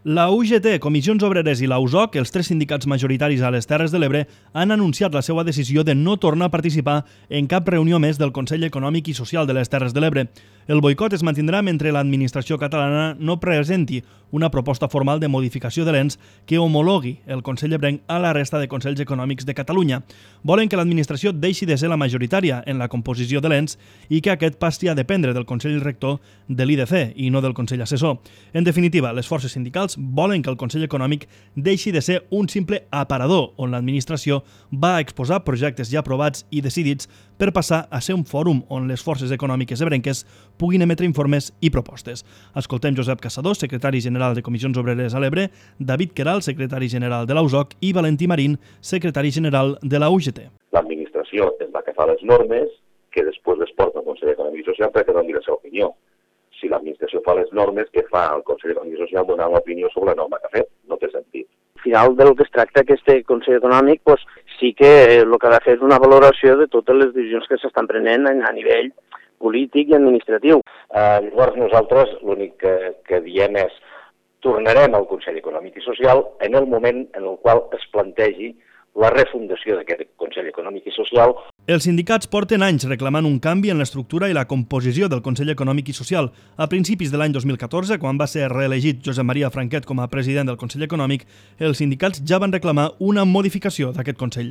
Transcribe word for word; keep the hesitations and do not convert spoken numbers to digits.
La U G T, Comissions Obreres i la U S O C, els tres sindicats majoritaris a les Terres de l'Ebre, han anunciat la seva decisió de no tornar a participar en cap reunió més del Consell Econòmic i Social de les Terres de l'Ebre. El boicot es mantindrà mentre l'administració catalana no presenti una proposta formal de modificació de l'ens que homologui el Consell Ebrenc a la resta de Consells Econòmics de Catalunya. Volen que l'administració deixi de ser la majoritària en la composició de l'ens i que aquest passi a dependre del Consell Rector de l'I D C i no del Consell Assessor. En definitiva, les forces sindicals volen que el Consell Econòmic deixi de ser un simple aparador on l'administració va exposar projectes ja aprovats i decidits per passar a ser un fòrum on les forces econòmiques ebrenques puguin emetre informes i propostes. Escoltem Josep Caçador, secretari general de Comissions Obreres a l'Ebre, David Queralt, secretari general de la U S O C i Valentí Marín, secretari general de la U G T. L'administració és la que fa les normes que després les porta al Consell Econòmic i Social perquè doni la seva opinió. Si l'administració fa les normes, que fa el Consell Econòmic i Social donar l'opinió sobre la norma que ha fet? No té sentit. Al final del que es tracta aquest Consell Econòmic, doncs, sí que el que ha de fer és una valoració de totes les decisions que s'estan prenent a nivell polític i administratiu. Eh, llavors nosaltres l'únic que, que diem és tornarem al Consell Econòmic i Social en el moment en el qual es plantegi la refundació d'aquest Consell Econòmic i Social. Els sindicats porten anys reclamant un canvi en l'estructura i la composició del Consell Econòmic i Social. A principis de l'any dos mil catorze, quan va ser reelegit Josep Maria Franquet com a president del Consell Econòmic, els sindicats ja van reclamar una modificació d'aquest Consell.